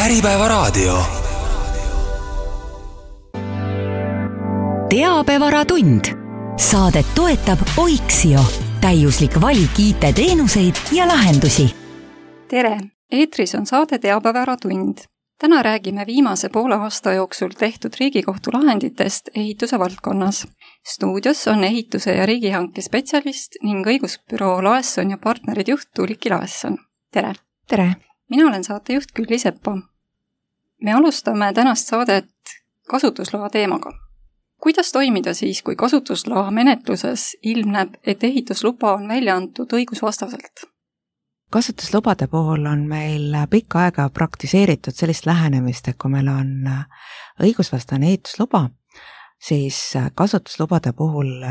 Äripäevaraadio. Teabevaratund. Saadet toetab Oiksio. Täiuslik valik IT-teenuseid ja lahendusi. Tere! Eetris on saade Teabevaratund. Täna räägime viimase poole aasta jooksul tehtud Riigikohtu lahenditest ehituse valdkonnas. Stuudios on ehituse ja riigihanke spetsialist ning õigusbüroo Laesson ja partnerid juht Tuuliki Laesson. Tere! Tere! Mina olen saatejuht Külli Sepa. Me alustame tänast saadet kasutusloa teemaga. Kuidas toimida siis, kui kasutusloa menetluses ilmneb, et ehitusluba on välja antud õigusvastaselt? Kasutuslubade puhul on meil pikka aega praktiseeritud sellist lähenemist, et kui meil on õigusvastane ehitusluba, siis kasutuslubade puhul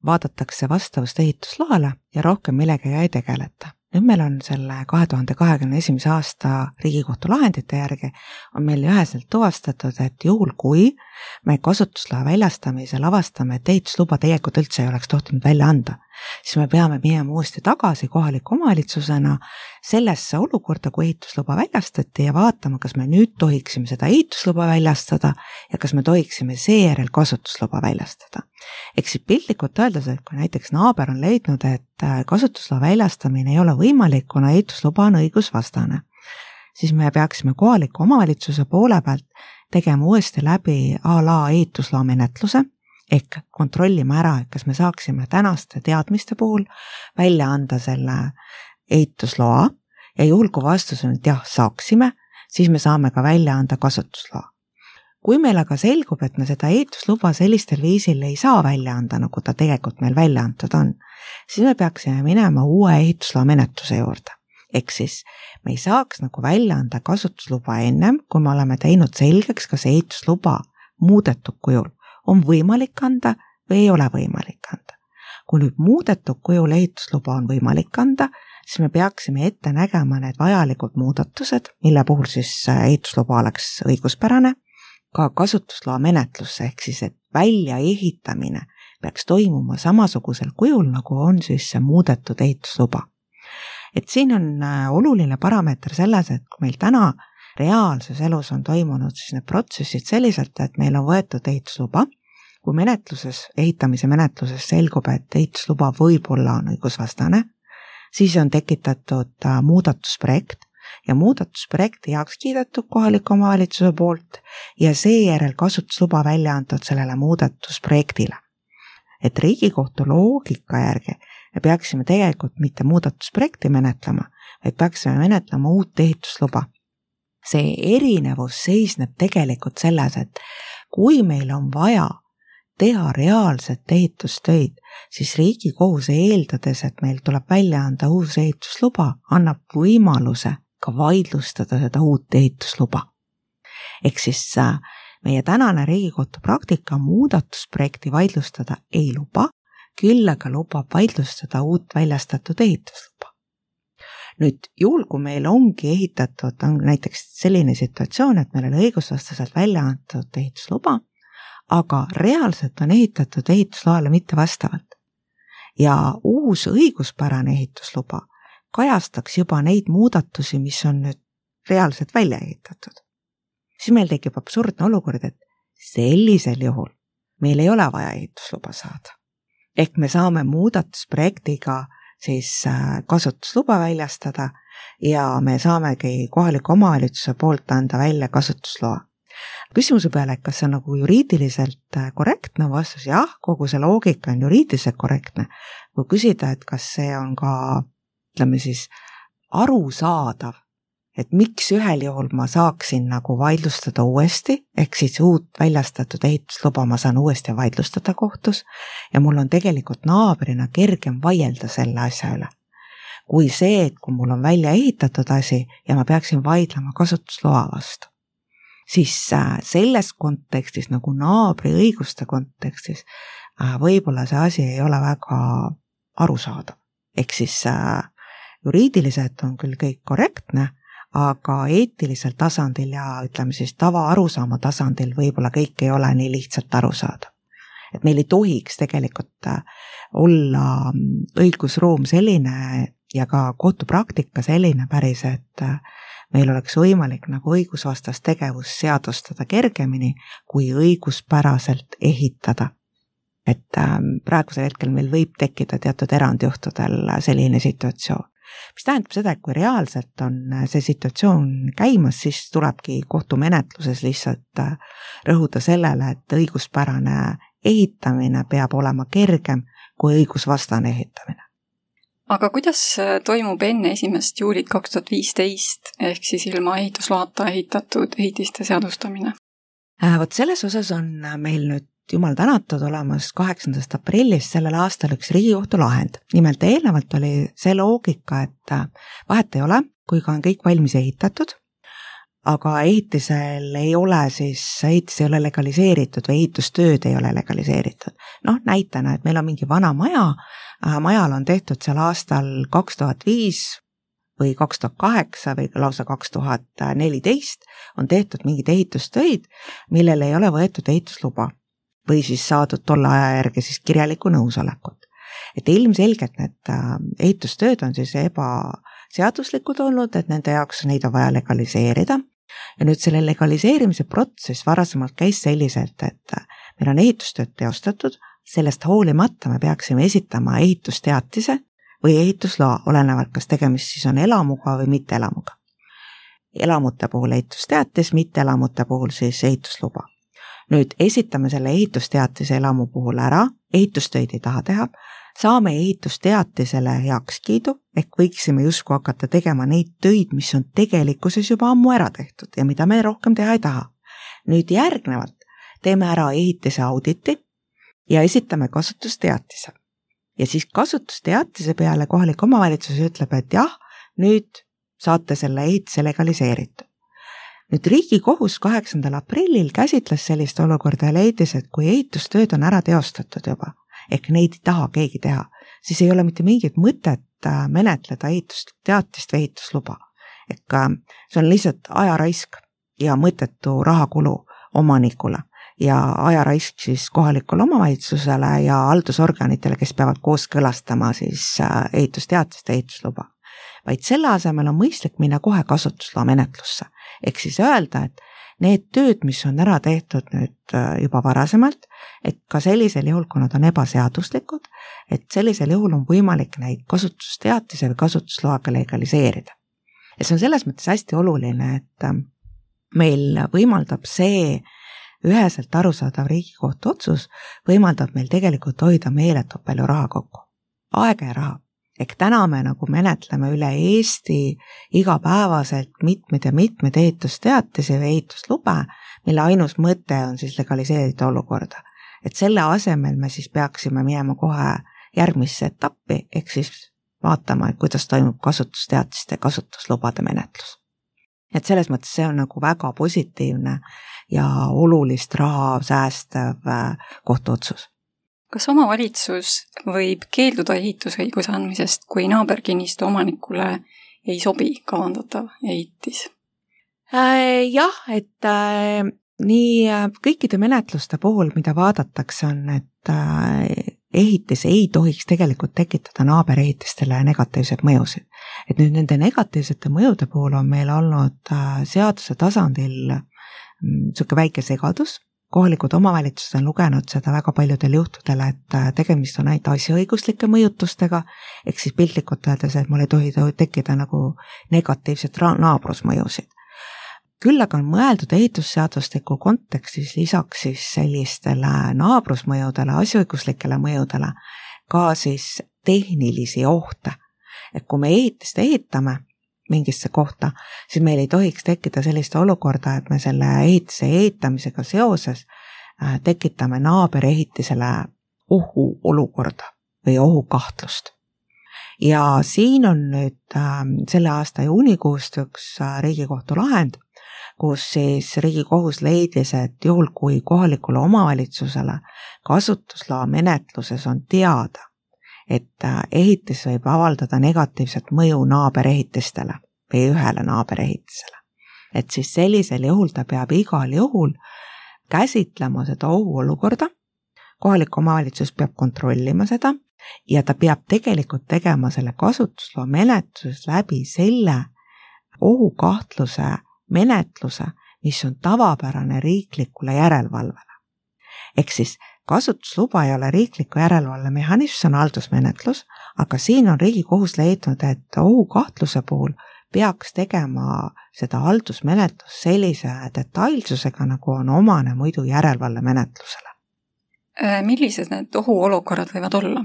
vaadatakse vastavust ehitusloale ja rohkem millegagi ei tegeleta. Nüüd meil on selle 2021. aasta Riigikohtu lahendite järgi on meil üheselt tuvastatud, et juhul kui me kasutusloa väljastamisel avastame, et ehitusluba tegelikult üldse ei oleks tohtinud välja anda, siis me peame minema uuesti tagasi kohaliku omavalitsusena sellesse olukorda, kui ehitusluba väljastati ja vaatama, kas me nüüd tohiksime seda ehitusluba väljastada ja kas me tohiksime seejärel kasutusluba väljastada. Ehk siis piltlikult öeldes, et kui näiteks naaber on leidnud, et kasutusloa väljastamine ei ole võimalik, kuna ehitusluba on õigusvastane, siis me peaksime kohaliku omavalitsuse poole pealt tegema uuesti läbi a la ehitusloa menetluse, ehk kontrollima ära, et kas me saaksime tänaste teadmiste puhul välja anda selle ehitusloa ja juhul kui vastus on, et jah, saaksime, siis me saame ka välja anda kasutusloa. Kui meil aga selgub, et me seda ehitusluba sellistel viisil ei saa välja anda, nagu ta tegelikult meil välja antud on, siis me peaksime minema uue ehitusloa menetluse juurde. Ehk siis me ei saaks nagu välja anda kasutusluba ennem, kui me oleme teinud selgeks, kas ehitusluba muudetud kujul on võimalik anda või ei ole võimalik anda. Kui nüüd muudetud kujul ehitusluba on võimalik anda, siis me peaksime ette nägema need vajalikud muudatused, mille puhul siis ehitusluba oleks õiguspärane, ka kasutusloa menetlusse, ehk siis, et välja ehitamine peaks toimuma samasugusel kujul, nagu on siis see muudetud ehitusluba. Et siin on oluline parameeter selles, et kui meil täna reaalses elus on toimunud siis need protsessid selliselt, et meil on võetud ehitusluba, kui ehitamise menetluses selgub, et ehitusluba võib-olla on õigusvastane, siis on tekitatud muudatusprojekt ja muudatusprojekti heaks kiidetud kohaliku omavalitsuse poolt ja seejärel kasutusluba välja antud sellele muudatusprojektile. Et Riigikohtu loogika järgi me peaksime tegelikult mitte muudatusprojekti menetlema, vaid peaksime menetlema uut ehitusluba. See erinevus seisneb tegelikult selles, et kui meil on vaja teha reaalset ehitustöid, siis Riigikohus eeldades, et meil tuleb välja anda uus ehitusluba, annab võimaluse ka vaidlustada seda uut ehitusluba. Ehk siis meie tänane Riigikohtu praktika muudatusprojekti vaidlustada ei luba, küll aga lubab vaidlustada uut väljastatud ehitusluba. Nüüd juhul, kui meil ongi ehitatud, on näiteks selline situatsioon, et meil on õigusvastaselt välja antud ehitusluba, aga reaalselt on ehitatud ehitusloale mitte vastavalt. Ja uus õiguspärane ehitusluba kajastaks juba neid muudatusi, mis on nüüd reaalselt välja ehitatud. Siis meil tekib absurdne olukord, et sellisel juhul meil ei ole vaja ehitusluba saada. Ehk me saame muudatusprojektiga siis kasutusluba väljastada ja me saamegi kohaliku omavalitsuse poolt anda välja kasutusloa. Küsimuse peale, kas see on nagu juriidiliselt korrektne vastus, jah, kogu see loogika on juriidiliselt korrektne. Kui küsida, et kas see on ka, ütleme siis, arusaadav, et miks ühel juhul ma saaksin nagu vaidlustada uuesti, ehk siis uut väljastatud ehitusluba ma saan uuesti vaidlustada kohtus ja mul on tegelikult naabrina kergem vaielda selle asja üle. Kui see, et kui mul on välja ehitatud asi ja ma peaksin vaidlema kasutusloa vastu, siis selles kontekstis nagu naabri õiguste kontekstis võib-olla see asi ei ole väga arusaadav. Ehk siis juriidiliselt on küll kõik korrektne, aga eetilisel tasandil ja ütleme siis tava arusaama tasandil võib-olla kõik ei ole nii lihtsalt arusaadav. Et meil ei tohiks tegelikult olla õigusruum selline ja ka kohtupraktika selline päris, et meil oleks võimalik nagu õigusvastast tegevust seadustada kergemini kui õiguspäraselt ehitada. Et praegusel hetkel meil võib tekkida teatud erandjuhtudel selline situatsioon. Mis tähendab seda, et kui reaalselt on see situatsioon käimas, siis tulebki kohtumenetluses lihtsalt rõhuda sellele, et õiguspärane ehitamine peab olema kergem kui õigusvastane ehitamine. Aga kuidas toimub enne 1. juulit 2015 ehk siis ilma ehitusloata ehitatud ehitiste seadustamine? Vot selles osas on meil nüüd jumal tänatud olemas 8. aprillist sellel aastal üks Riigikohtu lahend. Nimelt eelnevalt oli see loogika, et vahet ei ole, kui ka on kõik valmis ehitatud, aga ehitisel ei ole ehitis ei ole legaliseeritud või ehitustööd ei ole legaliseeritud. Näitena, et meil on mingi vana maja, majal on tehtud seal aastal 2005 või 2008 või lausa 2014 on tehtud mingid ehitustöid, millel ei ole võetud ehitusluba või siis saadud tolle aja järgi siis kirjalikku nõusolekut. Et ilmselgelt need ehitustööd on siis ebaseaduslikud olnud, et nende jaoks neid on vaja legaliseerida. Ja nüüd selle legaliseerimise protsess varasemalt käis selliselt, et meil on ehitustööd teostatud, sellest hoolimata me peaksime esitama ehitusteatise või ehitusloa, olenevalt kas tegemist siis on elamuga või mitte elamuga. Elamute puhul ehitusteatis, mitte elamute puhul siis ehitusluba. Nüüd esitame selle ehitusteatise elamu puhul ära, ehitustöid ei taha teha, saame ehitusteatisele heakskiidu, ehk võiksime justkui hakata tegema neid töid, mis on tegelikkuses juba ammu ära tehtud ja mida me rohkem teha ei taha. Nüüd järgnevalt teeme ära ehitise auditi ja esitame kasutusteatise. Ja siis kasutusteatise peale kohalik omavalitsus ütleb, et jah, nüüd saate selle ehitise legaliseeritud. Nüüd Riigikohus 8. aprillil käsitles sellist olukorda ja leidis, et kui ehitustööd on ära teostatud juba, ehk neid ei taha keegi teha, siis ei ole mitte mingit mõtet menetleda ehitusteatist või ehitusluba. Ehk see on lihtsalt ajaraisk ja mõttetu rahakulu omanikule ja ajaraisk siis kohalikule omavalitsusele ja haldusorganitele, kes peavad kooskõlastama siis ehitusteatist ja ehitusluba. Vaid selle asemel on mõistlik minna kohe kasutusloa menetlusse. Ehk siis öelda, et need tööd, mis on ära tehtud nüüd juba varasemalt, et ka sellisel juhul, kui nad on ebaseaduslikud, et sellisel juhul on võimalik neid kasutusteatise või kasutusloaga legaliseerida. Ja see on selles mõttes hästi oluline, et meil võimaldab see üheselt arusaadav Riigikohtu otsus, võimaldab meil tegelikult hoida meeletult palju raha kokku. Aega ja raha. Ehk täna me nagu menetleme üle Eesti igapäevaselt mitmed ehitusteatisi või ehituslube, mille ainus mõte on siis legaliseerida olukorda. Et selle asemel me siis peaksime minema kohe järgmisse etappi, ehk siis vaatama, et kuidas toimub kasutusteatiste ja kasutuslubade menetlus. Et selles mõttes see on nagu väga positiivne ja olulist raha säästev kohtuotsus. Kas omavalitsus võib keelduda ehitusõiguse andmisest, kui naaberkinnistu omanikule ei sobi kavandatav ehitis? Jah, et nii kõikide menetluste puhul, mida vaadatakse, on, et ehitis ei tohiks tegelikult tekitada naaberehitistele negatiivseid mõjusid. Et nüüd nende negatiivsete mõjude puhul on meil olnud seaduse tasandil niisugune väike segadus. Kohalikud omavalitsused on lugenud seda väga paljudel juhtudel, et tegemist on ainult asjaõiguslike mõjutustega, ehk siis piltlikult öeldes, et mul ei tohi tekkida nagu negatiivset naabrusmõjusid. Küll aga on mõeldud ehitusseadustiku kontekstis lisaks siis sellistele naabrusmõjudele, asjaõiguslikele mõjudele ka siis tehnilisi ohte. Et kui me ehitist ehitame mingisse kohta, siis meil ei tohiks tekkida sellist olukorda, et me selle ehitise ehitamisega seoses tekitame naaberehitisele ohuolukorda või ohukahtlust. Ja siin on nüüd selle aasta juunikuust üks Riigikohtu lahend, kus siis Riigikohus leidis, et juhul kui kohalikule omavalitsusele kasutusloa menetluses on teada, et ehitis võib avaldada negatiivset mõju naaberehitistele või ühele naaberehitisele. Et siis sellisel juhul ta peab igal juhul käsitlema seda ohuolukorda, kohalik omavalitsus peab kontrollima seda ja ta peab tegelikult tegema selle kasutusloa menetluses läbi selle ohukahtluse menetluse, mis on tavapärane riiklikule järelevalvele. Ehk siis kasutusluba ei ole riikliku järelevalve mehhanism, see on haldusmenetlus, aga siin on Riigikohus leidnud, et ohukahtluse puhul peaks tegema seda haldusmenetlust sellise detailsusega, nagu on omane muidu järelevalvemenetlusele. Millised need ohuolukorrad võivad olla?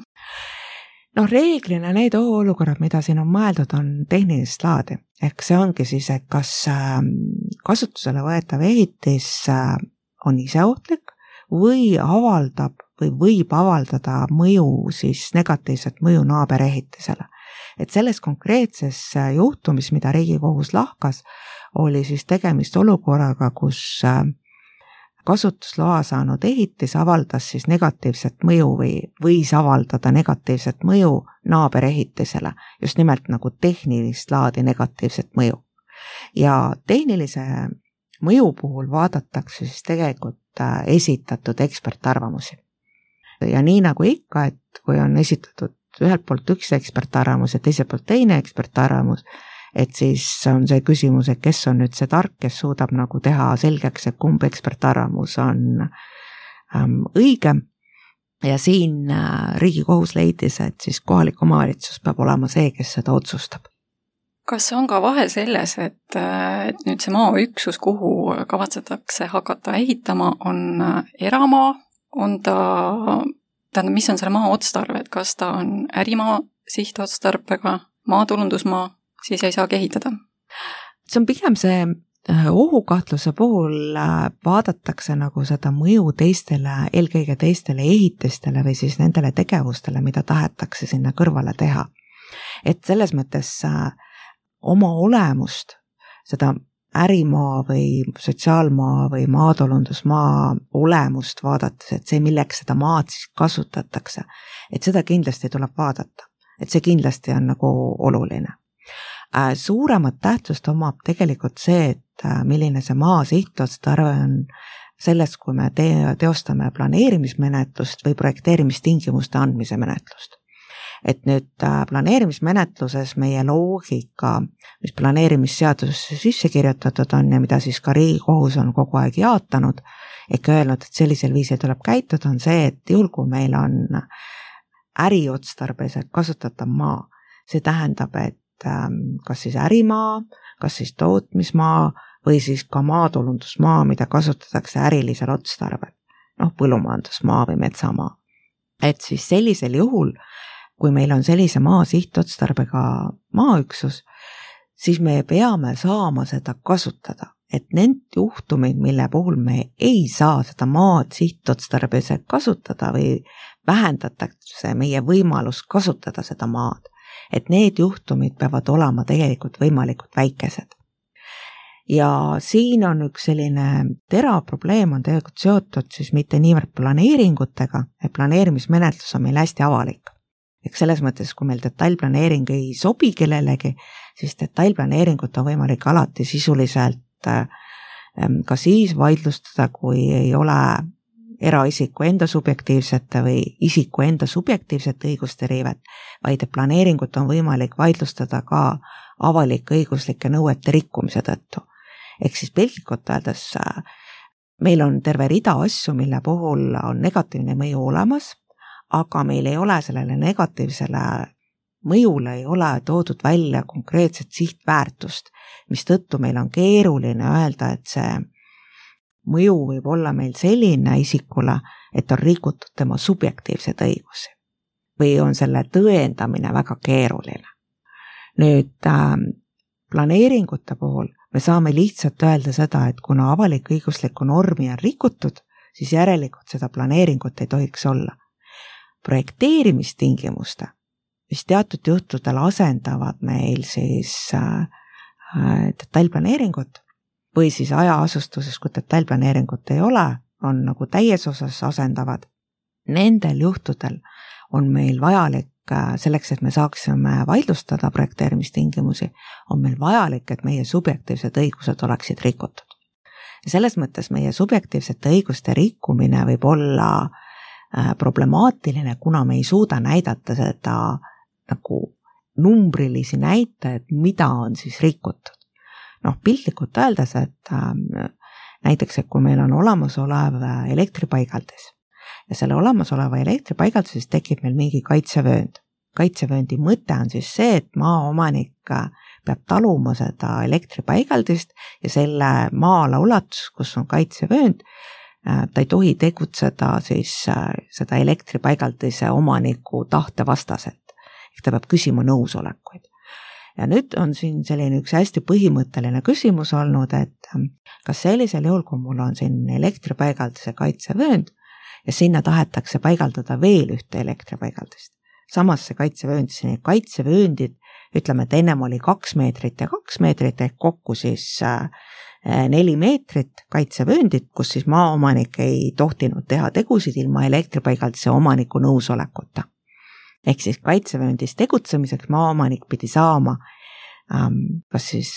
Reeglina need ohuolukorrad, mida siin on mõeldud, on tehnilist laadi. Ehk see ongi siis, et kas kasutusele võetav ehitis on iseohtlik või võib avaldada mõju, siis negatiivset mõju naaberehitisele. Et selles konkreetses juhtumis, mida Riigikohus lahkas, oli siis tegemist olukorraga, kus kasutusloa saanud ehitis avaldas siis negatiivset mõju või võis avaldada negatiivset mõju naaberehitisele, just nimelt nagu tehnilist laadi negatiivset mõju. Ja tehnilise mõju puhul vaadatakse siis tegelikult esitatud ekspertarvamusi. Ja nii nagu ikka, et kui on esitatud ühelt poolt üks ekspertarvamus ja teiselt poolt teine ekspertarvamus, et siis on see küsimus, et kes on nüüd see tark, kes suudab nagu teha selgeks, et kumb ekspertarvamus on õige. Ja siin Riigikohus leidis, et siis kohalik omavalitsus peab olema see, kes seda otsustab. Kas on ka vahe selles, et nüüd see maaüksus, kuhu kavatsetakse hakata ehitama, on eramaa, on tähendab, mis on selle maa otstarve, et kas ta on ärimaa sihtotstarbega, maatulundusmaa, siis ei saagi ehitada? See on pigem see ohukahtluse puhul vaadatakse nagu seda mõju teistele, eelkõige teistele ehitistele või siis nendele tegevustele, mida tahetakse sinna kõrvale teha. Et selles mõttes oma olemust, seda ärimaa või sotsiaalmaa või maatulundusmaa olemust vaadates, et see, milleks seda maad siis kasutatakse, et seda kindlasti tuleb vaadata. Et see kindlasti on nagu oluline. Suuremat tähtsust omab tegelikult see, et milline see maa sihtotstarve on selles, kui me teostame planeerimismenetlust või projekteerimistingimuste andmise menetlust. Et nüüd planeerimismenetluses meie loogika, mis planeerimisseadusesse sisse kirjutatud on ja mida siis ka Riigikohus on kogu aeg jaatanud, ehk öelnud, et sellisel viisil tuleb käituda, on see, et juhul kui meil on äriotstarbeliselt kasutatav maa, see tähendab, et kas siis ärimaa, kas siis tootmismaa või siis ka maatulundusmaa, mida kasutatakse ärilisel otstarbel, põllumajandusmaa või metsamaa. Et siis sellisel juhul, kui meil on sellise maa sihtotstarbega maaüksus, siis me peame saama seda kasutada. Et need juhtumid, mille puhul me ei saa seda maad sihtotstarbeliselt kasutada või vähendatakse meie võimalus kasutada seda maad, et need juhtumid peavad olema tegelikult võimalikult väikesed. Ja siin on üks selline terav probleem on tegelikult seotud siis mitte niivõrd planeeringutega, et planeerimismenetlus on meil hästi avalik. Eks selles mõttes, kui meil detailplaneering ei sobi kellelegi, siis detailplaneeringut on võimalik alati sisuliselt ka siis vaidlustada, kui ei ole eraisiku enda subjektiivsete või isiku enda subjektiivsete õiguste riivet, vaid planeeringut on võimalik vaidlustada ka avalik-õiguslike nõuete rikkumise tõttu. Ehk siis piltlikult öeldes meil on terve rida asju, mille puhul on negatiivne mõju olemas, aga meil ei ole sellele negatiivsele mõjule ei ole toodud välja konkreetset sihtväärtust, mis tõttu meil on keeruline öelda, et see mõju võib olla meil selline isikule, et on rikutud tema subjektiivseid õigusi või on selle tõendamine väga keeruline. Nüüd planeeringute puhul me saame lihtsalt öelda seda, et kuna avalik-õiguslikku normi on rikutud, siis järelikult seda planeeringut ei tohiks olla. Projekteerimistingimuste, mis teatud juhtudel asendavad meil siis detailplaneeringut või siis ajaasustuses, kui detailplaneeringut ei ole, on nagu täies osas asendavad. Nendel juhtudel on meil vajalik selleks, et me saaksime vaidlustada projekteerimistingimusi, on meil vajalik, et meie subjektiivsed õigused oleksid rikutud. Ja selles mõttes meie subjektiivsete õiguste rikkumine võib olla problemaatiline, kuna me ei suuda näidata seda nagu numbrilisi näitajaid, mida on siis rikutud. piltlikult öeldes, et näiteks, et kui meil on olemasolev elektripaigaldis ja selle olemasoleva elektripaigaldises tekib meil mingi kaitsevöönd. Kaitsevööndi mõte on siis see, et maaomanik peab taluma seda elektripaigaldist ja selle maa-ala ulatus, kus on kaitsevöönd, ta ei tohi tegutseda siis seda elektripaigaldise omaniku tahte vastaselt. Ehk ta peab küsima nõusolekuid. Ja nüüd on siin selline üks hästi põhimõtteline küsimus olnud, et kas sellisel juhul, kui mul on siin elektripaigaldise kaitsevöönd ja sinna tahetakse paigaldada veel ühte elektripaigaldist. Samas see kaitsevööndid, ütleme, et ennem oli 2 meetrit ja 2 meetrit ehk kokku siis 4 meetrit kaitsevööndit, kus siis maaomanik ei tohtinud teha tegusid ilma elektripaigaldise omaniku nõusolekuta. Ehk siis kaitsevööndis tegutsemiseks maaomanik pidi saama kas siis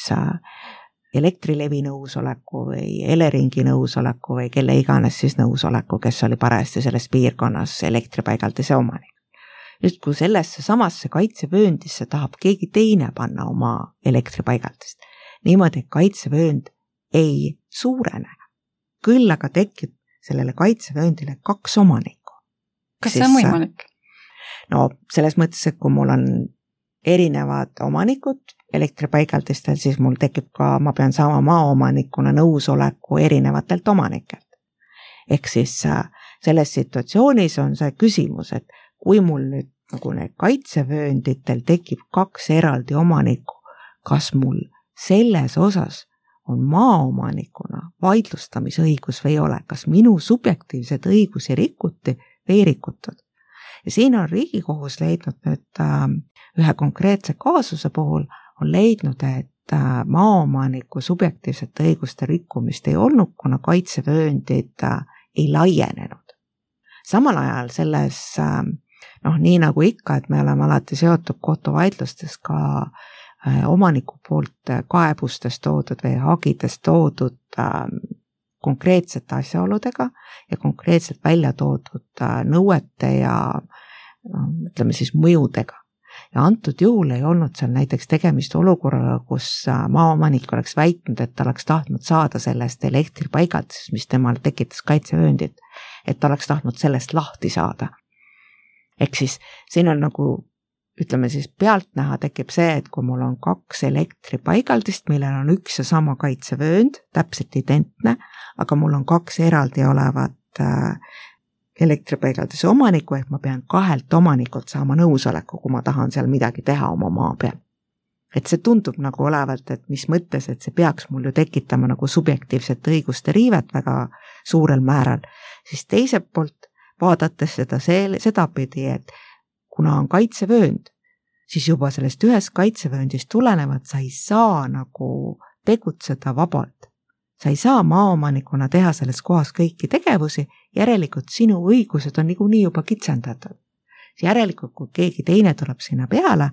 Elektrilevi nõusoleku või Eleringi nõusoleku või kelle iganes siis nõusoleku, kes oli parajasti selles piirkonnas elektripaigaldise omanik. Nüüd, kui sellesse samasse kaitsevööndisse tahab keegi teine panna oma elektripaigaldist, niimoodi, et kaitsevöönd ei suurene, küll aga tekib sellele kaitsevööndile 2 omanikku. Kas see on võimalik? No selles mõttes, et kui mul on erinevad omanikud elektripaigaldistel, siis mul tekib ka, ma pean saama maaomanikuna nõusoleku erinevatelt omanikelt. Ehk siis selles situatsioonis on see küsimus, et kui mul nüüd nagu need kaitsevöönditel tekib 2 eraldi omanikku, kas mul selles osas on maaomanikuna vaidlustamisõigus või ei ole, kas minu subjektiivsed õigusi rikuti või ei rikutud. Ja siin on Riigikohus leidnud nüüd ühe konkreetse kaasuse puhul, on leidnud, et maaomaniku subjektiivsete õiguste rikkumist ei olnud, kuna kaitsevööndid ei laienenud. Samal ajal selles, nii nagu ikka, et me oleme alati seotud kohtuvaidlustes ka omaniku poolt kaebustest toodud või hagidest toodud konkreetsete asjaoludega ja konkreetselt välja toodud nõuete ja ütleme siis mõjudega. Ja antud juhul ei olnud seal näiteks tegemist olukorraga, kus maaomanik oleks väitnud, et ta oleks tahtnud saada sellest elektripaigaldisest, mis temal tekitas kaitsevööndit, et ta oleks tahtnud sellest lahti saada. Ehk siis siin on nagu, ütleme siis pealtnäha tekib see, et kui mul on 2 elektripaigaldist, millel on üks ja sama kaitsevöönd, täpselt identne, aga mul on 2 eraldi olevat elektripaigaldise omaniku, ehk ma pean 2 omanikult saama nõusoleku, kui ma tahan seal midagi teha oma maa peal. Et see tundub nagu olevalt, et mis mõttes, et see peaks mul ju tekitama nagu subjektiivset õiguste riivet väga suurel määral, siis teiselt poolt vaadates seda pidi, et kuna on kaitsevöönd, siis juba sellest ühest kaitsevööndist tulenevat sa ei saa nagu tegutseda vabalt. Sa ei saa maaomanikuna teha selles kohas kõiki tegevusi, järelikult sinu õigused on niikuinii juba kitsendatud. Järelikult, kui keegi teine tuleb sinna peale,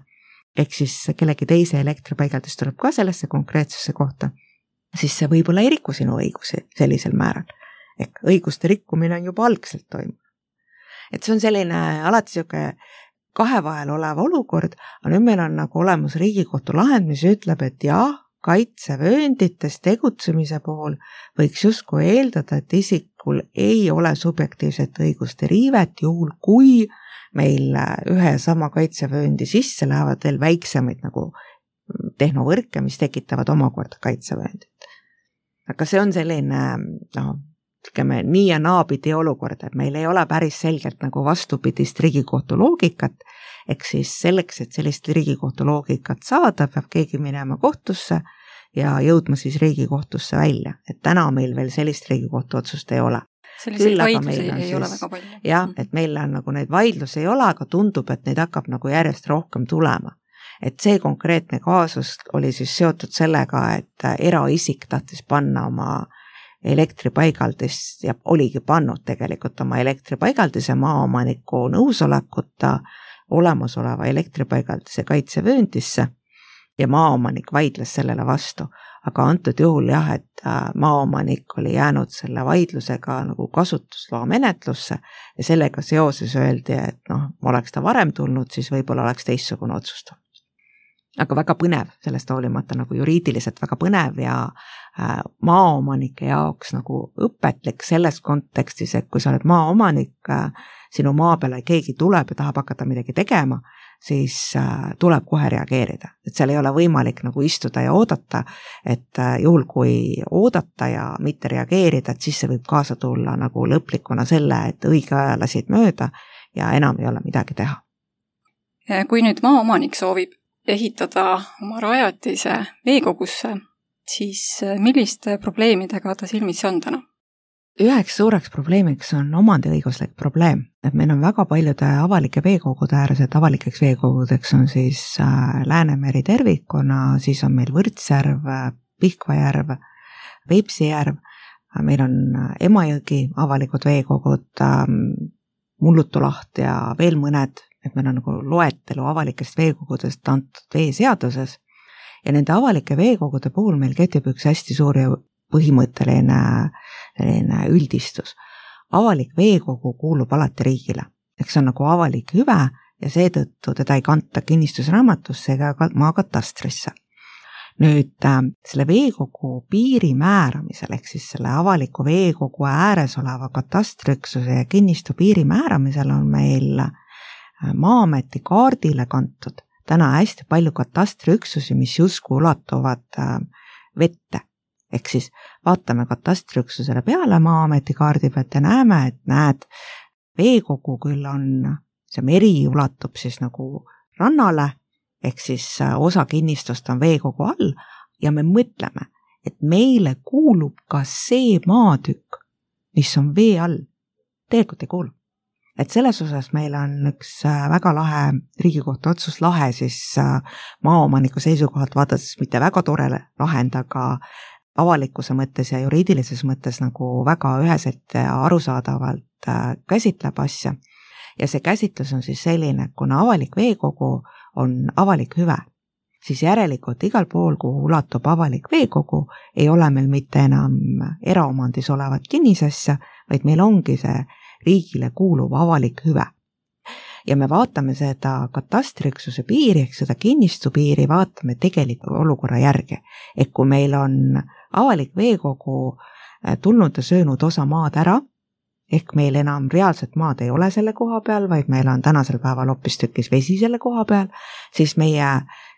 ehk siis kellegi teise elektripaigaldis tuleb ka sellesse konkreetsesse kohta, siis see võib-olla ei riku sinu õigusi sellisel määral. Ehk õiguste rikkumine on juba algselt toimunud. Et see on selline alati siuke 2 vahel olev olukord, aga nüüd meil on nagu olemas Riigikohtu lahend, mis ütleb, et jah, kaitsevööndites tegutsemise puhul võiks justkui eeldada, et isikul ei ole subjektiivset õiguste riivet, juhul kui meil ühe sama kaitsevööndi sisse lähevad veel väiksemaid nagu tehnovõrke, mis tekitavad omakorda kaitsevööndit. Aga see on selline, nii ja naapidi olukord, et meil ei ole päris selgelt nagu vastupidist Riigikohtu loogikat, ehk siis selleks, et sellist Riigikohtu loogikat saada, peab keegi minema kohtusse ja jõudma siis Riigikohtusse välja. Et täna meil veel sellist Riigikohtu otsust ei ole. Selliseid vaidlusi ei ole väga palju. Jah, et meil on nagu neid vaidlusi ei ole, aga tundub, et neid hakkab nagu järjest rohkem tulema. Et see konkreetne kaasus oli siis seotud sellega, et eraisik tahtis panna oma elektripaigaldist ja oligi pannud tegelikult oma elektripaigaldise maaomaniku nõusolekuta olemasoleva elektripaigaldise kaitsevööndisse ja maaomanik vaidles sellele vastu. Aga antud juhul jah, et maaomanik oli jäänud selle vaidlusega nagu kasutusloa menetlusse ja sellega seoses öeldi, et oleks ta varem tulnud, siis võib-olla oleks teistsugune otsustus. aga väga põnev, sellest hoolimata nagu juriidiliselt väga põnev ja maaomanike jaoks nagu õpetlik selles kontekstis, et kui sa oled maaomanik, sinu maa peale keegi tuleb ja tahab hakata midagi tegema, siis tuleb kohe reageerida. Et seal ei ole võimalik nagu istuda ja oodata, et juhul kui oodata ja mitte reageerida, et siis see võib kaasa tulla nagu lõplikuna selle, et õige aja lasid mööda ja enam ei ole midagi teha. Kui nüüd maaomanik soovib ehitada oma rajatise veekogusse, siis milliste probleemidega ta silmitsi on täna? Üheks suureks probleemiks on omandiõiguslik probleem, et meil on väga paljude avalike veekogude ääres, et avalikeks veekogudeks on siis Läänemeri tervikuna, siis on meil Võrtsjärv, Pihkva järv, Peipsi järv, meil on Emajõgi avalikud veekogud, Mullutulaht ja veel mõned, et meil on nagu loetelu avalikest veekogudest antud veeseaduses ja nende avalike veekogude puhul meil kehtib üks hästi suur ja põhimõtteline üldistus. Avalik veekogu kuulub alati riigile, eks see on nagu avalik hüve ja seetõttu teda ei kanta kinnistusraamatusse ega maakatastrisse. Nüüd selle veekogu piiri määramisel ehk siis selle avaliku veekogu ääres oleva katastriüksuse ja kinnistu piiri määramisel on meil Maa-ameti kaardile kantud täna hästi palju katastriüksusi, mis justkui ulatuvad vette. Ehk siis vaatame katastriüksusele peale Maa-ameti kaardi pealt ja näeme, et näed, veekogu küll on, see meri ulatub siis nagu rannale, ehk siis osa kinnistust on veekogu all ja me mõtleme, et meile kuulub ka see maatükk, mis on vee all. Tegelikult ei kuulu. Et selles osas meil on üks väga lahe Riigikohtu otsus lahe siis maaomaniku seisukohalt vaadates mitte väga tore lahend, aga avalikkuse mõttes ja juriidilises mõttes nagu väga üheselt ja arusaadavalt käsitleb asja. Ja see käsitlus on siis selline, et kuna avalik veekogu on avalik hüve, siis järelikult igal pool, kuhu ulatub avalik veekogu, ei ole meil mitte enam eraomandis olevat kinnisasja, vaid meil ongi see riigile kuuluv avalik hüve. Ja me vaatame seda katastriüksuse piiri, ehk seda kinnistu piiri, vaatame tegeliku olukorra järgi. Ehk kui meil on avalik veekogu tulnud ja söönud osa maad ära, ehk meil enam reaalset maad ei ole selle koha peal, vaid meil on tänasel päeval hoopistükkis vesi selle koha peal, siis meie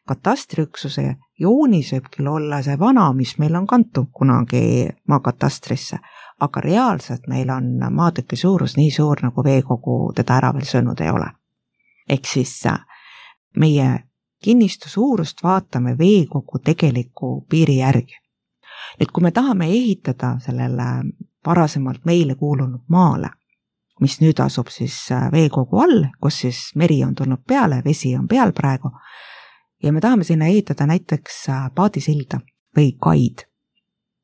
katastriüksuse joonis võib küll olla see vana, mis meil on kantud kunagi maakatastrisse, aga reaalselt meil on maatüki suurus nii suur, nagu veekogu teda ära veel söönud ei ole. Ehk siis meie kinnistu suurust vaatame veekogu tegeliku piiri järgi. Nüüd, kui me tahame ehitada sellele varasemalt meile kuulunud maale, mis nüüd asub siis veekogu all, kus siis meri on tulnud peale, vesi on peal praegu, ja me tahame sinna ehitada näiteks paadisilda või kaid,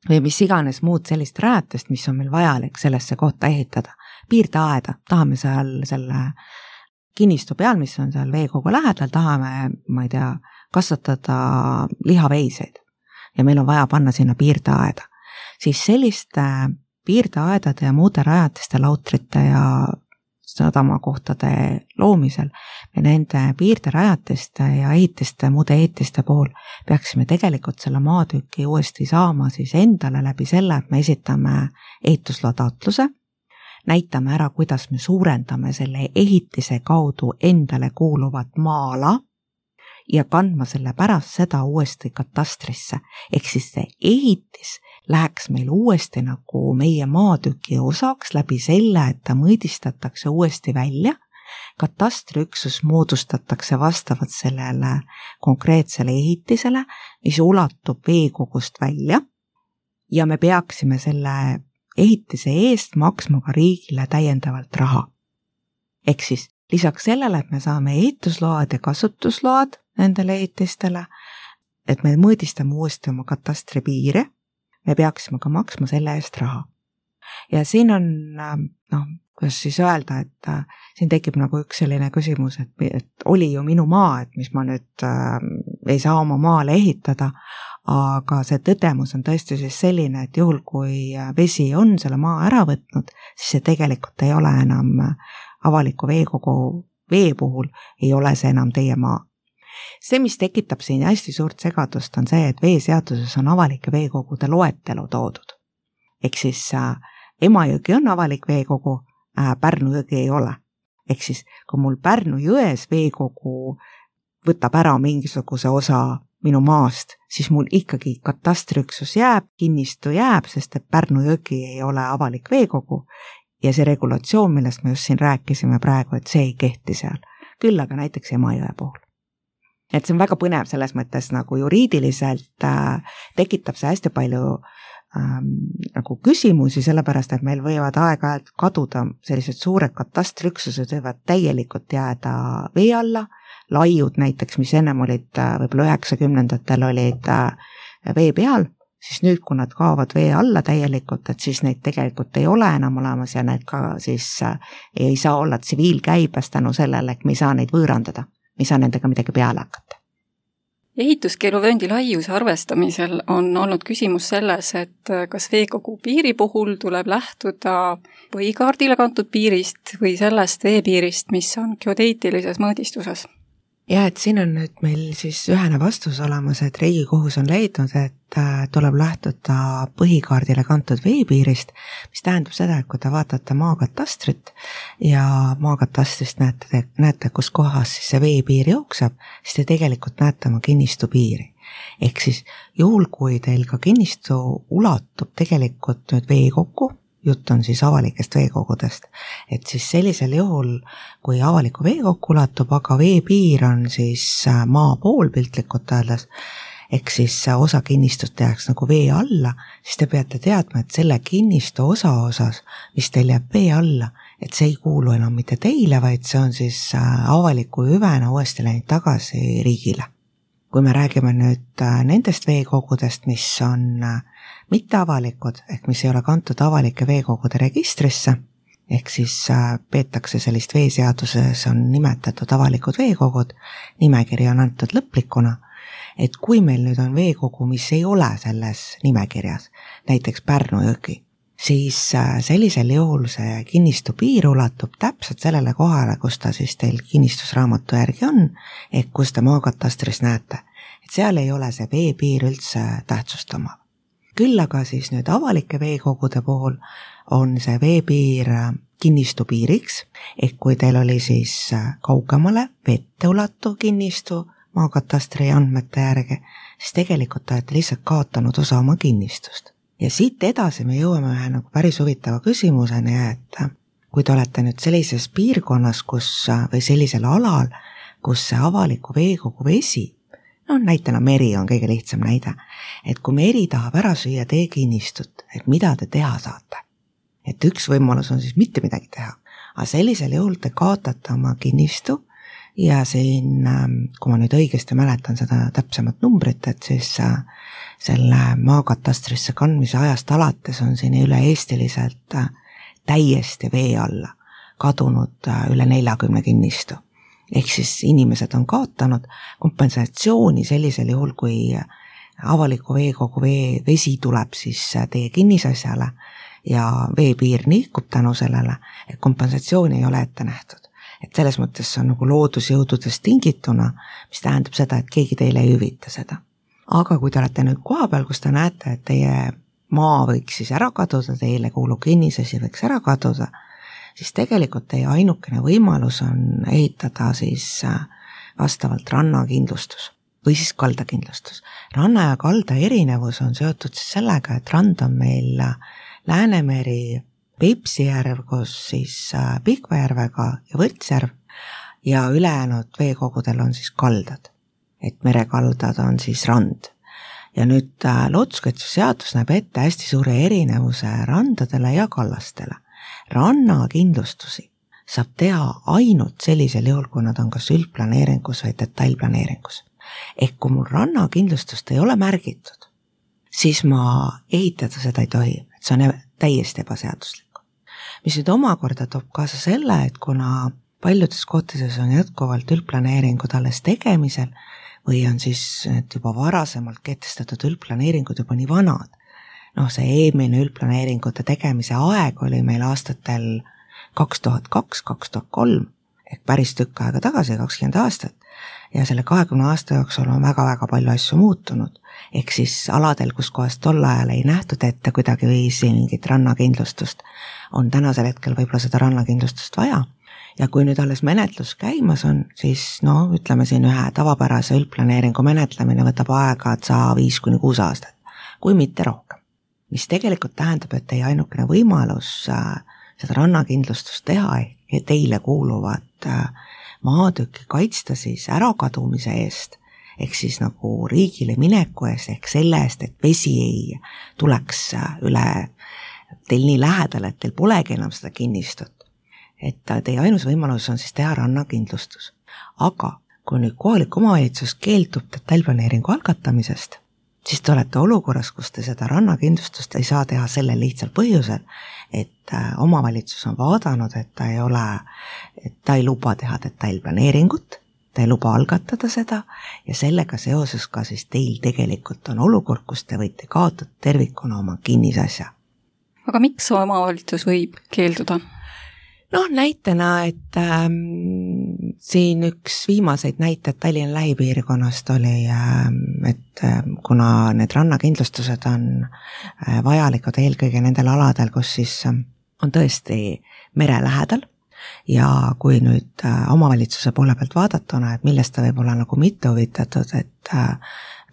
või mis iganes muud sellist rajatist, mis on meil vajalik sellesse kohta ehitada. Piirdeaeda, tahame seal selle kinnistu peal, mis on seal veekogu lähedal, tahame, ma ei tea, kasvatada lihaveiseid ja meil on vaja panna sinna piirdeaeda. Siis selliste piirdeaedade ja muude rajatiste, lautrite ja sadamakohtade loomisel me nende piirderajatiste ja ehitiste, muude ehitiste puhul peaksime tegelikult selle maatüki uuesti saama siis endale läbi selle, et me esitame ehitusloa taotluse, näitame ära, kuidas me suurendame selle ehitise kaudu endale kuuluvat maa-ala ja kandma selle pärast seda uuesti katastrisse. Ehk siis see ehitis läheks meil uuesti nagu meie maatüki osaks läbi selle, et ta mõõdistatakse uuesti välja, katastriüksus moodustatakse vastavalt sellele konkreetsele ehitisele, mis ulatub veekogust välja ja me peaksime selle ehitise eest maksma ka riigile täiendavalt raha. Ehk siis lisaks sellele, et me saame ehitusload ja kasutusload nendele ehitistele, et me mõõdistame uuesti oma katastri piire, me peaksime ka maksma selle eest raha. Ja siin on, kuidas siis öelda, et siin tekib nagu üks selline küsimus, et oli ju minu maa, et mis ma nüüd ei saa oma maale ehitada, aga see tõdemus on tõesti siis selline, et juhul kui vesi on selle maa ära võtnud, siis see tegelikult ei ole enam avaliku veekogu vee puhul, ei ole see enam teie maa. see, mis tekitab siin hästi suurt segadust, on see, et veeseaduses on avalike veekogude loetelu toodud. Ehk siis Emajõgi on avalik veekogu, Pärnu jõgi ei ole. Ehk siis, kui mul Pärnu jões veekogu võtab ära mingisuguse osa minu maast, siis mul ikkagi katastriüksus jääb, kinnistu jääb, sest et Pärnu jõgi ei ole avalik veekogu ja see regulatsioon, millest me just siin rääkisime praegu, et see ei kehti seal. Küll aga näiteks Emajõe puhul. Et see on väga põnev selles mõttes nagu juriidiliselt tekitab see hästi palju nagu küsimusi, sellepärast, et meil võivad aeg-ajalt kaduda sellised suured katastriüksused, võivad täielikult jääda vee alla, laiud näiteks, mis ennem olid võib-olla 90ndatel olid vee peal, siis nüüd, kui nad kaovad vee alla täielikult, et siis neid tegelikult ei ole enam olemas ja need ka siis ei saa olla tsiviilkäibes tänu sellele, et me ei saa neid võõrandada, me ei saa nendega midagi peale hakata. Ehituskeeluvööndi laiuse arvestamisel on olnud küsimus selles, et kas veekogu piiri puhul tuleb lähtuda põhikaardile kantud piirist või sellest veepiirist, mis on geodeetilises mõõdistuses. Ja, et siin on nüüd meil siis ühene vastus olemas, et Riigikohus on leidnud, et tuleb lähtuda põhikaardile kantud veepiirist, mis tähendab seda, et kui te vaatate maakatastrit ja maakatastrist näete, kus kohas siis see veepiir jookseb, siis te tegelikult näete oma kinnistu piiri. Ehk siis juhul, kui teil ka kinnistu ulatub tegelikult nüüd veekokku, jutt on siis avalikest veekogudest, et siis sellisel juhul, kui avaliku veekokku ulatub, aga veepiir on siis maa pool piltlikult öeldes, ehk siis osa kinnistut jääks nagu vee alla, siis te peate teadma, et selle kinnistu osas, mis teil jääb vee alla, et see ei kuulu enam mitte teile, vaid see on siis avaliku hüvena uuesti läinud tagasi riigile. Kui me räägime nüüd nendest veekogudest, mis on mitteavalikud, ehk mis ei ole kantud avalike veekogude registrisse, ehk siis peetakse sellist veeseaduses on nimetatud avalikud veekogud, nimekiri on antud lõplikuna, et kui meil nüüd on veekogu, mis ei ole selles nimekirjas, näiteks Pärnu jõgi, siis sellisel juhul see kinnistu piir ulatub täpselt sellele kohale, kus ta siis teil kinnistusraamatu järgi on, ehk kus te maakatastris näete, et seal ei ole see veepiir üldse tähtsustama. Küll aga siis nüüd avalike veekogude puhul on see veepiir kinnistu piiriks, ehk kui teil oli siis kaugemale vette ulatuv kinnistu maakatastri andmete järgi, siis tegelikult olete lihtsalt kaotanud osa oma kinnistust. Ja siit edasi me jõuame ühe nagu päris huvitava küsimuseni, et kui te olete nüüd sellises piirkonnas või sellisel alal, kus see avaliku veekogu vesi, näitena meri on kõige lihtsam näide, et kui meri tahab ära süüa teie kinnistut, et mida te teha saate? Et üks võimalus on siis mitte midagi teha, aga sellisel juhul te kaotate oma kinnistu ja siin, kui ma nüüd õigesti mäletan seda täpsemat numbrit, et siis selle maakatastrisse kandmise ajast alates on siin üle-eestiliselt täiesti vee alla kadunud üle 40 kinnistu. Ehk siis inimesed on kaotanud kompensatsiooni sellisel juhul, kui avaliku veekogu vesi tuleb siis teie kinnisasjale ja veepiir niikub tänu sellele, et kompensatsiooni ei ole ette nähtud. Et selles mõttes on nagu loodusjõududest tingituna, mis tähendab seda, et keegi teile ei hüvita seda. Aga kui te olete nüüd koha peal, kus te näete, et teie maa võiks siis ära kaduda, teile kuuluv kinnisasi võiks ära kaduda, siis tegelikult teie ainukene võimalus on ehitada siis vastavalt rannakindlustus või siis kaldakindlustus. Ranna ja kalda erinevus on seotud siis sellega, et rand on meil Läänemeri, Peipsijärv, kus siis Pihkvajärvega ja Võrtsjärv ja ülejäänud veekogudel on siis kaldad. Et merekaldad on siis rand. Ja nüüd looduskaitseseadus näeb ette hästi suure erinevuse randadele ja kallastele. Rannakindlustusi saab teha ainult sellisel juhul, kui nad on kas üldplaneeringus või detailplaneeringus. Ehk kui mul rannakindlustust ei ole märgitud, siis ma ehitada seda ei tohi, et see on täiesti ebaseaduslik. Mis nüüd omakorda toob kaasa selle, et kuna paljudes kohtades on jätkuvalt üldplaneeringud alles tegemisel, või on siis juba varasemalt kehtestatud üldplaneeringud juba nii vanad. See eelmine üldplaneeringute tegemise aeg oli meil aastatel 2002-2003, ehk päris tükk aega tagasi, 20 aastat, ja selle 20 aasta jooksul on väga-väga palju asju muutunud. Ehk siis aladel, kus kohast tol ajal ei nähtud ette kuidagi viisi mingit rannakindlustust, on tänasel hetkel võib-olla seda rannakindlustust vaja. Ja kui nüüd alles menetlus käimas on, siis ütleme siin ühe tavapärase üldplaneeringu menetlemine võtab aega 5-6 aastat, kui mitte rohkem. Mis tegelikult tähendab, et teie ainukene võimalus seda rannakindlustust teha ehk teile kuuluvat maatükki kaitsta siis ärakadumise eest, ehk siis nagu riigile mineku eest, ehk selle eest, et vesi ei tuleks üle teil nii lähedal, et teil polegi enam seda kinnistut. Et teie ainus võimalus on siis teha rannakindlustus. Aga kui nüüd kohalik omavalitsus keeldub detailplaneeringu algatamisest, siis te olete olukorras, kus te seda rannakindlustust ei saa teha sellel lihtsal põhjusel, et omavalitsus on vaadanud, et ta ei luba teha detailplaneeringut, ta ei luba algatada seda ja sellega seoses ka siis teil tegelikult on olukord, kus te võite kaotada tervikuna oma kinnisasja. Aga miks omavalitsus võib keelduda? Näitena, et siin üks viimaseid näited Tallinna lähipiirkonnast oli, et kuna need rannakindlustused on vajalikud eelkõige nendel aladel, kus siis on tõesti mere lähedal ja kui nüüd omavalitsuse poole pealt vaadatuna, et millest ta võib olla nagu mitte huvitatud, et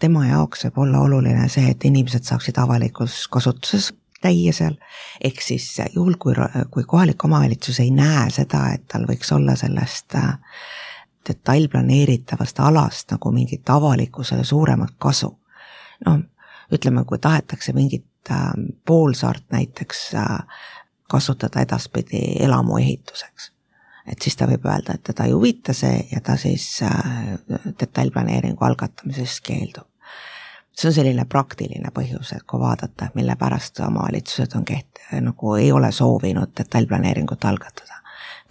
tema jaoks võib olla oluline see, et inimesed saaksid avalikus kasutuses käia seal, ehk siis juhul, kui kohalik omavalitsus ei näe seda, et tal võiks olla sellest detailplaneeritavast alast nagu mingit avalikkusele suuremat kasu. Ütleme, kui tahetakse mingit poolsaart näiteks kasutada edaspidi elamu ehituseks, et siis ta võib öelda, et teda ei huvita see ja ta siis detailplaneeringu algatamisest keeldub. See on selline praktiline põhjus, et kui vaadata, mille pärast omavalitsused on nagu ei ole soovinud detailplaneeringut algatada.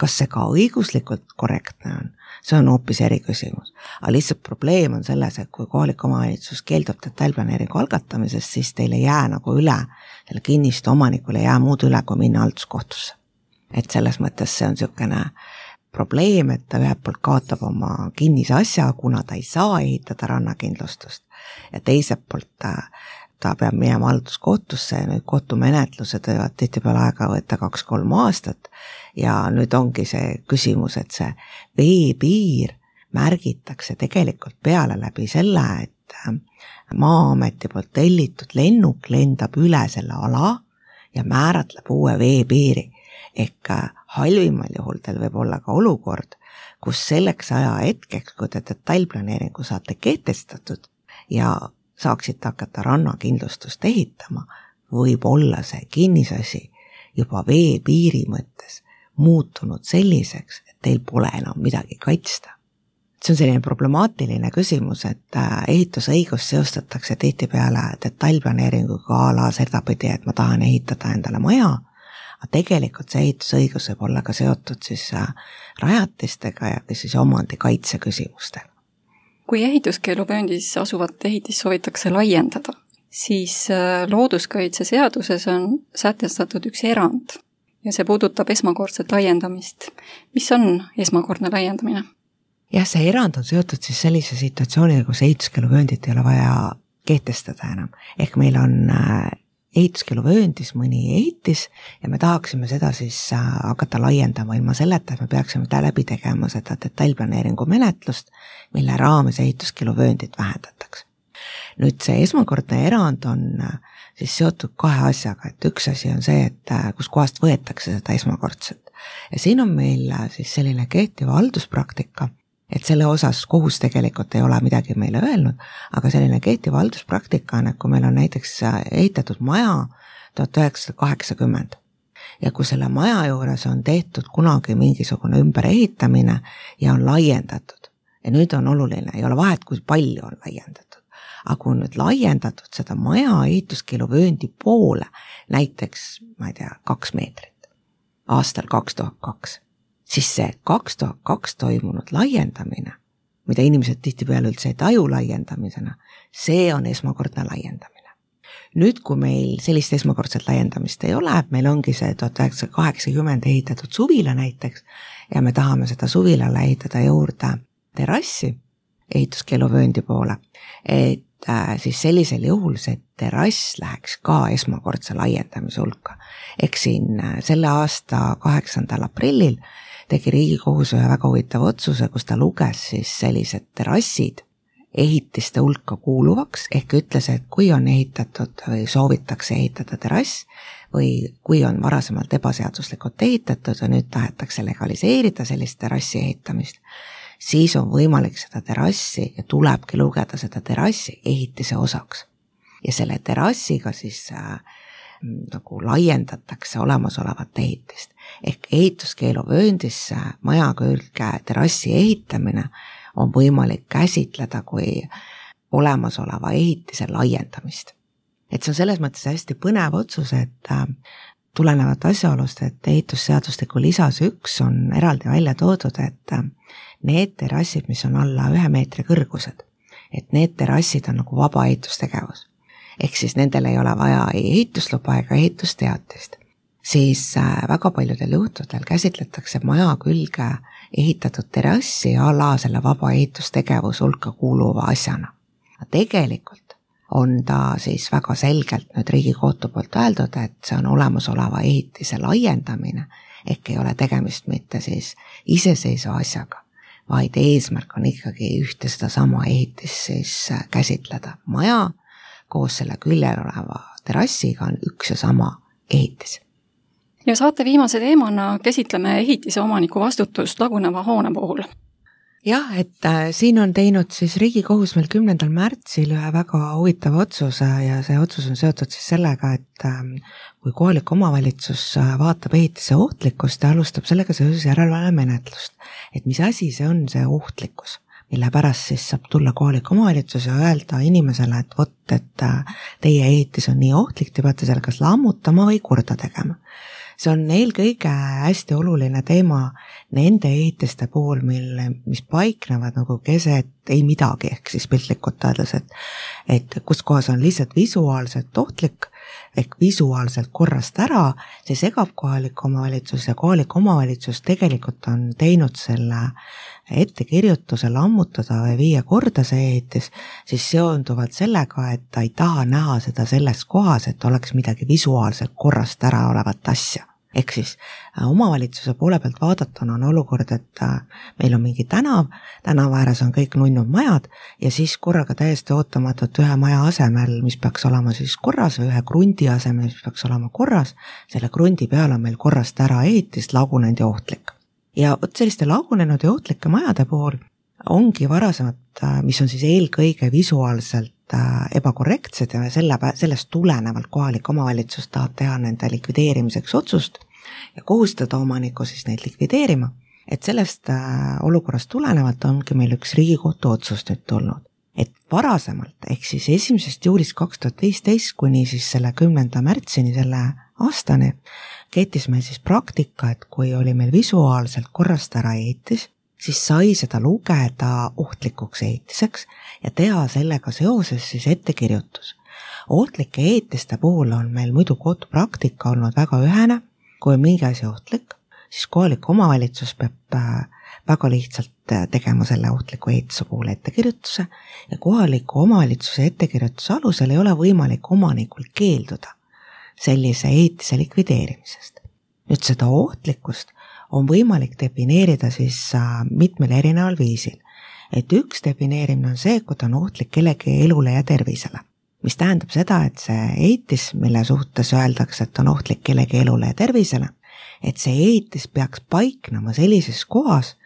Kas see ka õiguslikult korrektne on? See on hoopis eriküsimus. Aga lihtsalt probleem on selles, et kui kohalik omavalitsus keeldub detailplaneeringu algatamisest, siis teil ei jää nagu üle, selle kinnistu omanikul ei jää muud üle, kui minna halduskohtusse. Et selles mõttes see on niisugune probleem, et ta ühelt poolt kaotab oma kinnise asja, kuna ta ei saa ehitada rannakindlustust ja teiselt poolt ta peab minema halduskohtusse ja nüüd kohtumenetlused võivad tihtipeale aega võtta 2-3 aastat ja nüüd ongi see küsimus, et see veepiir märgitakse tegelikult peale läbi selle, et Maa-ameti poolt tellitud lennuk lendab üle selle ala ja määratleb uue veepiiri. Ehk halvimal juhul teil võib olla ka olukord, kus selleks aja hetkeks, kui te detailplaneeringu saate kehtestatud ja saaksite hakata rannakindlustust ehitama, võib olla see kinnisasi juba veepiiri mõttes muutunud selliseks, et teil pole enam midagi kaitsta. See on selline problemaatiline küsimus, et ehitusõigus seostatakse tihtipeale detailplaneeringuga ala sedapidi, et ma tahan ehitada endale maja, aga tegelikult see ehitusõigus võib olla ka seotud siis rajatistega ja siis omandikaitse küsimustega. Kui ehituskeeluvööndis asuvat ehitist soovitakse laiendada, siis looduskaitseseaduses on sätestatud üks erand ja see puudutab esmakordset laiendamist. Mis on esmakordne laiendamine? Jah, see erand on seotud siis sellise situatsiooniga, kus ehituskeeluvööndit ei ole vaja kehtestada enam. Ehk meil on ehituskeeluvööndis mõni ehitis ja me tahaksime seda siis hakata laiendama ilma selleta, et me peaksime läbi tegema seda detailplaneeringu menetlust, mille raames ehituskeeluvööndit vähendatakse. Nüüd see esmakordne erand on siis seotud 2 asjaga, et üks asi on see, et kus kohast võetakse seda esmakordset. Ja siin on meil siis selline kehtiva halduspraktika, et selle osas kohus tegelikult ei ole midagi meile öelnud, aga selline kehtiva halduspraktika on, et kui meil on näiteks ehitatud maja 1980 ja kui selle maja juures on tehtud kunagi mingisugune ümberehitamine ja on laiendatud ja nüüd on oluline, ei ole vahet, kui palju on laiendatud, aga kui on nüüd laiendatud seda maja ehituskeeluvööndi poole, näiteks, 2 meetrit aastal 2002, siis see 2002 toimunud laiendamine, mida inimesed tihtipeale üldse ei taju laiendamisena, see on esmakordne laiendamine. Nüüd, kui meil sellist esmakordset laiendamist ei ole, meil ongi see 1980 ehitatud suvila näiteks ja me tahame seda suvilale ehitada juurde terrassi, ehituskeeluvööndi poole, et siis sellisel juhul see terrass läheks ka esmakordse laiendamise hulka. Ehk siin selle aasta 8. aprillil tegi Riigikohus ühe väga huvitava otsuse, kus ta luges siis sellised terrassid ehitiste hulka kuuluvaks, ehk ütles, et kui on ehitatud või soovitakse ehitada terrass või kui on varasemalt ebaseaduslikult ehitatud ja nüüd tahetakse legaliseerida sellist terrassi ehitamist, siis on võimalik seda terrassi ja tulebki lugeda seda terrassi ehitise osaks. Ja selle terrassiga siis nagu laiendatakse olemasolevat ehitist. Ehk ehituskeeluvööndisse maja külge terrassi ehitamine on võimalik käsitleda kui olemasoleva ehitise laiendamist. Et see on selles mõttes hästi põnev otsus, et tulenevat asjaolust, et ehitusseadustiku lisas 1 on eraldi välja toodud, et need terrassid, mis on alla 1 meetri kõrgused, et need terrassid on nagu vaba ehitustegevus. Ehk siis nendel ei ole vaja ei ehitusluba ega ehitusteatist. Siis väga paljudel juhtudel käsitletakse maja külge ehitatud terrassi a la selle vaba ehitustegevus hulka kuuluva asjana. Tegelikult on ta siis väga selgelt nüüd Riigikohtu poolt öeldud, et see on olemasoleva ehitise laiendamine, ehk ei ole tegemist mitte siis iseseisva asjaga, vaid eesmärk on ikkagi ühte seda sama ehitist siis käsitleda. Maja koos selle küljel oleva terrassiga on üks ja sama ehitis. Ja saate viimase teemana käsitleme ehitise omaniku vastutust laguneva hoone puhul. Jah, et siin on teinud siis Riigikohus meil 10. märtsil ühe väga huvitava otsuse ja see otsus on seotud siis sellega, et kui kohalik omavalitsus vaatab ehitise ohtlikkust ja alustab sellega seoses järelevalvemenetlust, et mis asi see on see ohtlikkus, mille pärast siis saab tulla kohalik omavalitsus ja öelda inimesele, et vot, et teie ehitis on nii ohtlik, te peate selle kas lammutama või korda tegema. See on eelkõige hästi oluline teema nende ehitiste puhul, mis paiknevad nagu keset ei midagi, ehk siis piltlikult öeldes, et kus kohas on lihtsalt visuaalselt ohtlik, ehk visuaalselt korrast ära, see segab kohalik omavalitsus ja kohalik omavalitsus tegelikult on teinud selle ettekirjutuse lammutada või viia korda see ehitis, siis seonduvalt sellega, et ta ei taha näha seda selles kohas, et oleks midagi visuaalselt korrast ära olevat asja. Ehk siis omavalitsuse poole pealt vaadatuna on olukord, et meil on mingi tänava ääres on kõik nunnud majad ja siis korraga täiesti ootamatult ühe maja asemel, mis peaks olema siis korras või ühe krundi asemel, mis peaks olema korras, selle krundi peal on meil korrast ära ehitist lagunenud ja ohtlik. Ja vot selliste lagunenud ja ohtlike majade puhul ongi varasemad, mis on siis eelkõige visuaalselt ebakorrektsed ja sellest tulenevalt kohalik omavalitsus tahab teha nende likvideerimiseks otsust ja kohustada omaniku siis neid likvideerima, et sellest olukorrast tulenevalt ongi meil üks Riigikohtu otsus nüüd tulnud. Et varasemalt, ehk siis 1. juulist 2015 kuni siis selle 10. märtsini selle aastani, keetis meil siis praktika, et kui oli meil visuaalselt korrast ära ehitis, siis sai seda lugeda ohtlikuks ehitiseks ja teha sellega seoses siis ettekirjutus. Ohtlike ehitiste puhul on meil muidu kohtupraktika olnud väga ühene, kui on mingi asi ohtlik, siis kohalik omavalitsus peab väga lihtsalt tegema selle ohtliku ehituse puhul ettekirjutuse ja kohaliku omavalitsuse ettekirjutuse alusel ei ole võimalik omanikul keelduda sellise ehitise likvideerimisest. Nüüd seda ohtlikkust on võimalik defineerida siis mitmel erineval viisil. Et üks defineerimine on see, kui ta on ohtlik kellegi elule ja tervisele, mis tähendab seda, et see ehitis, mille suhtes öeldakse, et on ohtlik kellegi elule ja tervisele, et see ehitis peaks paiknema sellises kohas,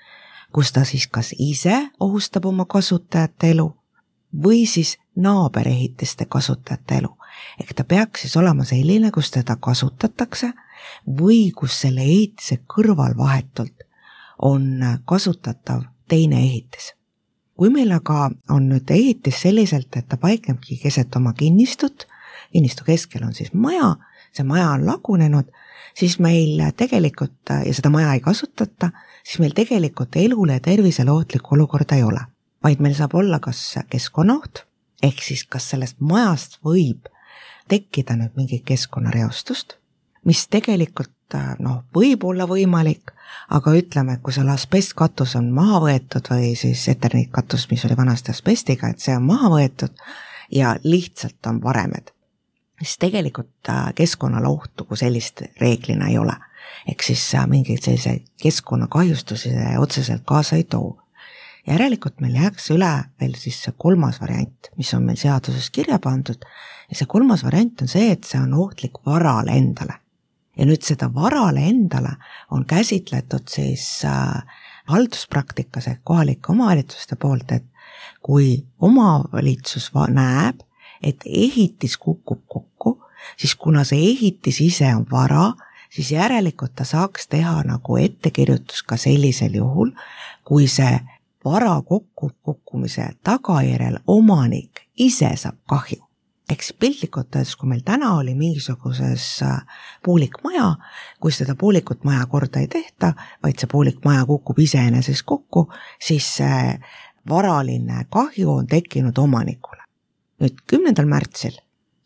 kus ta siis kas ise ohustab oma kasutajate elu või siis naaberehitiste kasutajate elu. Ehk ta peaks siis olema selline, kus teda kasutatakse või kus selle ehitise kõrval vahetult on kasutatav teine ehitis. Kui meil aga on nüüd ehitis selliselt, et ta paiknebki keset oma kinnistut, kinnistu keskel on siis maja, see maja on lagunenud, siis meil tegelikult, ja seda maja ei kasutata, siis meil tegelikult elule ja tervisele ohtlikku olukorda ei ole. Vaid meil saab olla kas keskkonnaoht, ehk siis kas sellest majast võib tekkida nüüd mingi keskkonnareostust, mis tegelikult võib olla võimalik, aga ütleme, et kui seal asbestkatus on maha võetud või siis eterniitkatus, mis oli vanasti asbestiga, et see on maha võetud ja lihtsalt on varemed, siis tegelikult keskkonnale ohtu kui sellist reeglina ei ole. Ehk siis mingeid selliseid keskkonnakahjustusi otseselt kaasa ei too. Järelikult meil jääks üle veel siis see kolmas variant, mis on meil seaduses kirja pandud, ja see kolmas variant on see, et see on ohtlik varale endale. Ja nüüd seda varale endale on käsitletud siis halduspraktikas ehk kohalike omavalitsuste poolt, et kui omavalitsus näeb, et ehitis kukub kokku, siis kuna see ehitis ise on vara, siis järelikult ta saaks teha nagu ettekirjutus ka sellisel juhul, kui see vara kukkumise tagajärjel omanik ise saab kahju. Eks piltlikult öeldes, kui meil täna oli mingisuguses puulikmaja, kui seda puulikut maja korda ei tehta, vaid see puulikmaja kukub iseenesest kokku, siis see varaline kahju on tekkinud omanikule. Nüüd 10. märtsil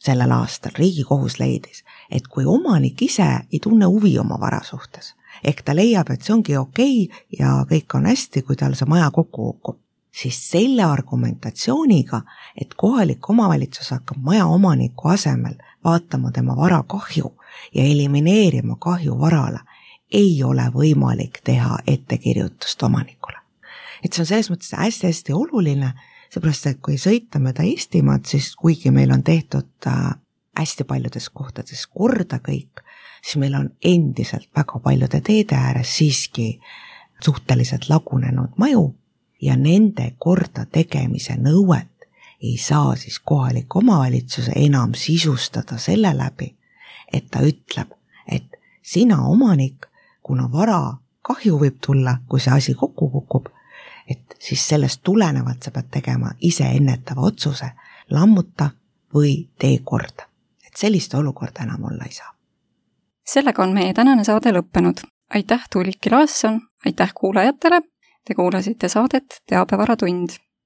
sellel aastal Riigikohus leidis, et kui omanik ise ei tunne huvi oma vara suhtes, ehk ta leiab, et see ongi okei ja kõik on hästi, kui tal see maja kokku kukub, siis selle argumentatsiooniga, et kohalik omavalitsus hakkab maja omaniku asemel vaatama tema vara kahju ja elimineerima kahju varale, ei ole võimalik teha ettekirjutust omanikule. Et see on selles mõttes hästi-hästi oluline, seepärast, et kui sõita mööda Eestimaad, siis kuigi meil on tehtud hästi paljudes kohtades korda kõik, siis meil on endiselt väga paljude teede ääres siiski suhteliselt lagunenud maju, ja nende korda tegemise nõuet ei saa siis kohalik omavalitsuse enam sisustada selle läbi, et ta ütleb, et sina omanik, kuna vara kahju võib tulla, kui see asi kokku kukub, et siis sellest tulenevalt sa pead tegema ise ennetava otsuse, lammuta või tee korda. Et sellist olukorda enam olla ei saa. Sellega on meie tänane saade lõppenud. Aitäh Tuulik Laasson, aitäh kuulajatele! Te kuulasite saadet Teabevaratund.